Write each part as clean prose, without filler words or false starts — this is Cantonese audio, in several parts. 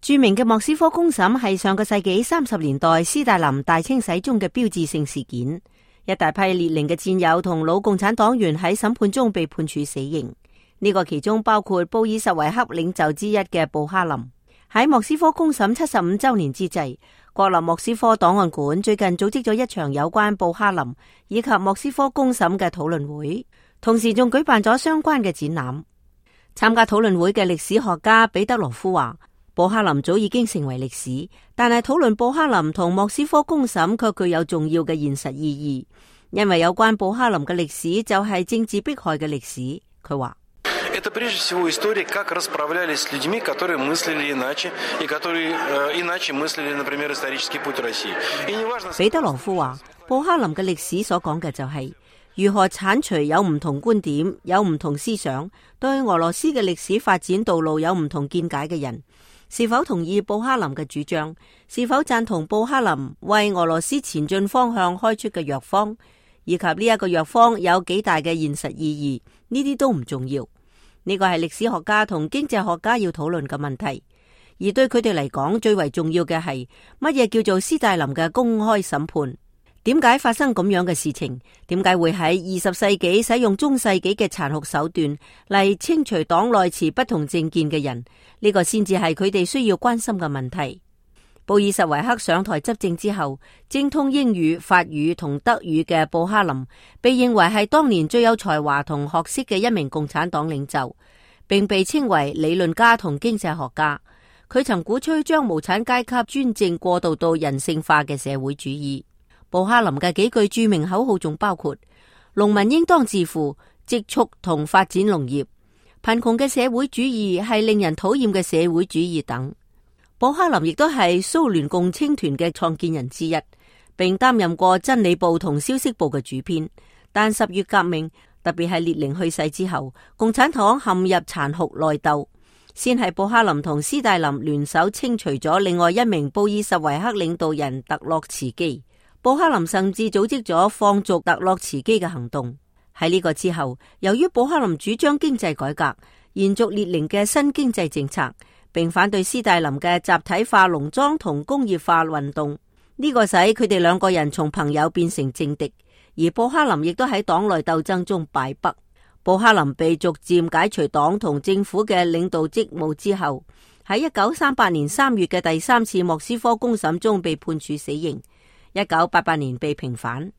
著名嘅莫斯科公審係上個世紀30年代斯大林大清洗中嘅標誌性事件，一大批列寧嘅戰友同老共產黨員喺審判中被判處死刑。呢個其中包括布爾什維克領袖之一嘅布哈林。喺莫斯科公審75周年之際，國立莫斯科檔案館最近組織咗一場有關布哈林以及莫斯科公審嘅討論會，同時仲舉辦咗相關嘅展覽。參加討論會嘅歷史學家彼得羅夫話，布哈林早已經成為歷史，但係討論布哈林同莫斯科公審卻具有重要嘅現實意義，因為有關布哈林嘅歷史就係政治迫害嘅歷史。佢話Это прежде всего история, как расправлялись с людьми, которые мыслили иначе, и которые иначе мыслили, например, исторический путь России. И неважно... 彼得羅夫話，布哈林嘅歷史所講嘅就係如何鏟除有唔同觀點、有唔同思想、對俄羅斯嘅歷史發展道路有唔同見解嘅人，是否同意布哈林嘅主張，是否贊同布哈林為俄羅斯前進方向開出嘅藥方，以及呢一個藥方有幾大嘅現實意義，呢啲都唔重要。呢個係歷史學家同經濟學家要討論嘅問題，而對佢哋嚟講，最為重要嘅係乜嘢叫做斯大林嘅公開審判？點解發生咁樣嘅事情？點解會喺20世紀使用中世紀嘅殘酷手段嚟清除黨內持不同政見嘅人？呢個先至係佢哋需要關心嘅問題。布爾什維克上台執政之後，精通英語、法語同德語嘅布哈林被認為係當年最有才華同學識嘅一名共產黨領袖，並被稱為理論家同經濟學家。佢曾鼓吹將無產階級專政過渡到人性化嘅社會主義。布哈林嘅幾句著名口號仲包括農民應當致富、積蓄同發展農業、貧窮嘅社會主義係令人討厭嘅社會主義等。布哈林亦都係蘇聯共青團嘅創建人之一，並擔任過真理報同消息報嘅主編。但10月革命，特別係列寧去世之後，共產黨陷入殘酷內鬥。先係布哈林同斯大林聯手清除咗另外一名布爾什維克領導人特洛茨基。布哈林甚至組織咗放逐特洛茨基嘅行動。喺呢個之後，由於布哈林主張經濟改革，延續列寧嘅新經濟政策，並反對斯大林嘅集體化農莊同工業化運動，呢個使佢哋兩個人從朋友變成政敵，而布哈林亦都喺黨內鬥爭中敗北。布哈林被逐漸解除黨同政府嘅領導職務之後，喺1938年3月嘅第3次莫斯科公審中被判處死刑，1988年被平反。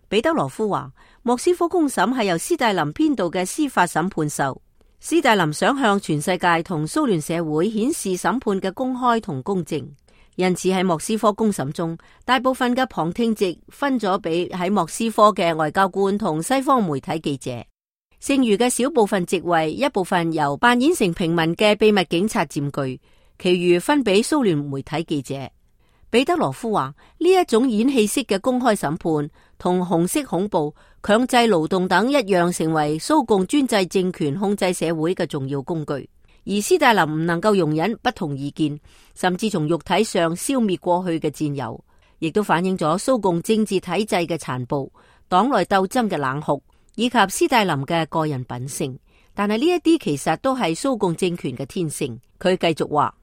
彼得羅夫話，莫斯科公審係由斯大林編導嘅司法審判秀。斯大林想向全世界同蘇聯社會顯示審判嘅公開同公正，因此喺莫斯科公審中，大部分嘅旁聽席分咗俾喺莫斯科嘅外交官同西方媒體記者，剩餘嘅小部分席位，一部分由扮演成平民嘅秘密警察佔據，其餘分俾蘇聯媒體記者。彼得羅夫話，呢一種演戲式嘅公開審判同紅色恐怖、強制勞動等一樣，成為蘇共專制政權控制社會嘅重要工具。而斯大林唔能夠容忍不同意見，甚至從肉體上消滅過去嘅戰友，亦都反映咗蘇共政治體制嘅殘暴、黨內鬥爭嘅冷酷，以及斯大林嘅個人品性。但係呢一啲其實都係蘇共政權嘅天性。佢繼續話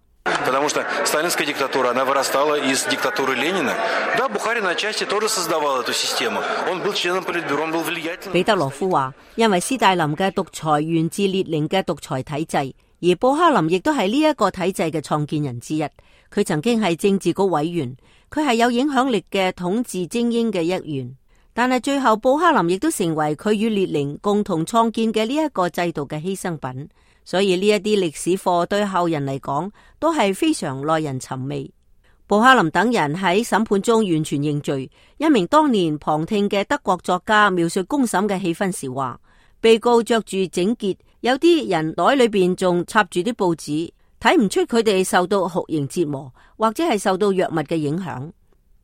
，Потому что сталинская диктатура, она вырастала из диктатуры Ленина. Да, Бухарин отчасти тоже создавал эту систему. Он был членом политбюро, он был влиятельным. 彼得羅夫話，因為斯大林嘅獨裁源自列寧嘅獨裁體制，而布哈林亦都係呢一個體制嘅創建人之一。佢曾經係政治局委員，佢係有影響力嘅統治精英嘅一員。但係最後，布哈林亦都成為佢與列寧共同創建嘅呢一個制度嘅犧牲品。所以呢一啲歷史課對後人嚟講都係非常耐人尋味。布哈林等人喺審判中完全認罪。一名當年旁聽嘅德國作家描述公審嘅氣氛時話，被告着住整潔，有啲人袋裏邊仲插住啲報紙，睇唔出佢哋受到酷刑折磨或者係受到藥物嘅影響。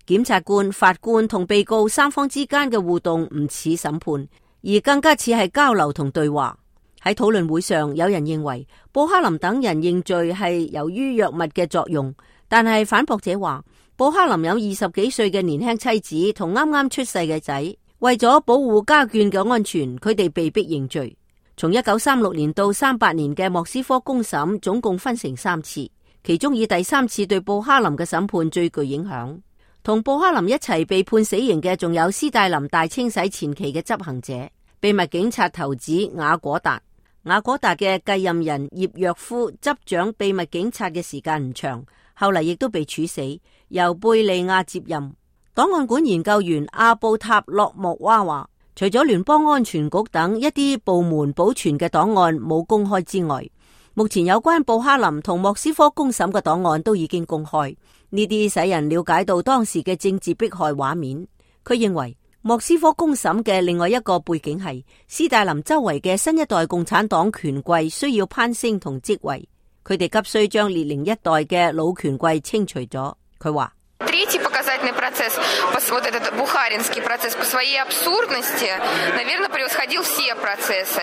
檢察官、法官同被告三方之間嘅互動唔似審判，而更加似係交流同對話。喺討論會上，有人認為布哈林等人認罪係由於藥物嘅作用，但係反駁者話，布哈林有20幾歲嘅年輕妻子同啱啱出世嘅仔，為咗保護家眷嘅安全，佢哋被迫認罪。從1936年到38年嘅莫斯科公審總共分成3次，其中以第3次對布哈林嘅審判最具影響。同布哈林一齊被判死刑嘅仲有斯大林大清洗前期嘅執行者，秘密警察頭子雅果達。雅果達嘅繼任人葉若夫執掌秘密警察嘅時間唔長，後嚟亦都被處死，由貝利亞接任。檔案館研究員阿布塔洛莫娃話，除咗聯邦安全局等一啲部門保存嘅檔案冇公開之外，目前有關布哈林同莫斯科公審嘅檔案都已經公開，呢啲使人了解到當時嘅政治迫害畫面。佢認為莫斯科公審嘅另外一個背景係斯大林周圍嘅新一代共產黨權貴需要攀升同職位，佢哋急需將列寧一代嘅老權貴清除咗。佢話Третий показательный процесс, вот этот бухаринский процесс, по своей абсурдности, наверное, превосходил все процессы.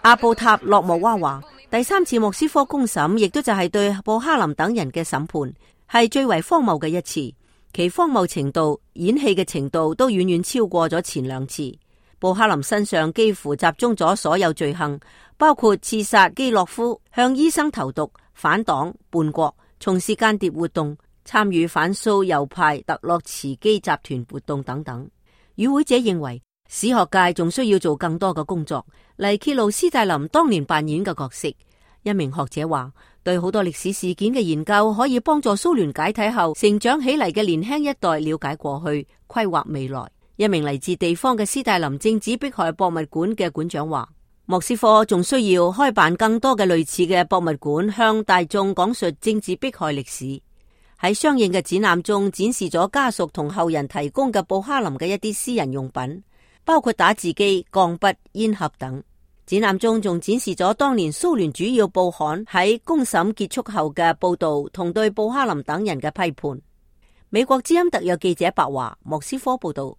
阿布塔洛莫娃話，第3次莫斯科公審亦都就係對布哈林等人嘅審判，係最為荒謬嘅一次。其荒謬程度、演戲嘅程度都遠遠超過咗前2次。布哈林身上幾乎集中咗所有罪行，包括刺殺基洛夫、向醫生投毒、反黨、叛國、從事間諜活動、參與反蘇右派特洛茨基集團活動等等。與會者認為，史學界仲需要做更多嘅工作嚟揭露斯大林當年扮演嘅角色。一名學者話，對好多歷史事件嘅研究可以幫助蘇聯解體後成長起嚟嘅年輕一代了解過去，規劃未來。一名嚟自地方嘅斯大林政治迫害博物館嘅館長話，莫斯科仲需要開辦更多嘅類似嘅博物館，向大眾講述政治迫害歷史。喺相應嘅展覽中展示咗家屬同後人提供嘅布哈林嘅一啲私人用品，包括打字機、鋼筆、煙盒等。展覽中仲展示咗當年蘇聯主要報刊喺公審結束後嘅報道同對布哈林等人嘅批判。美國之音特約記者白華，莫斯科報道。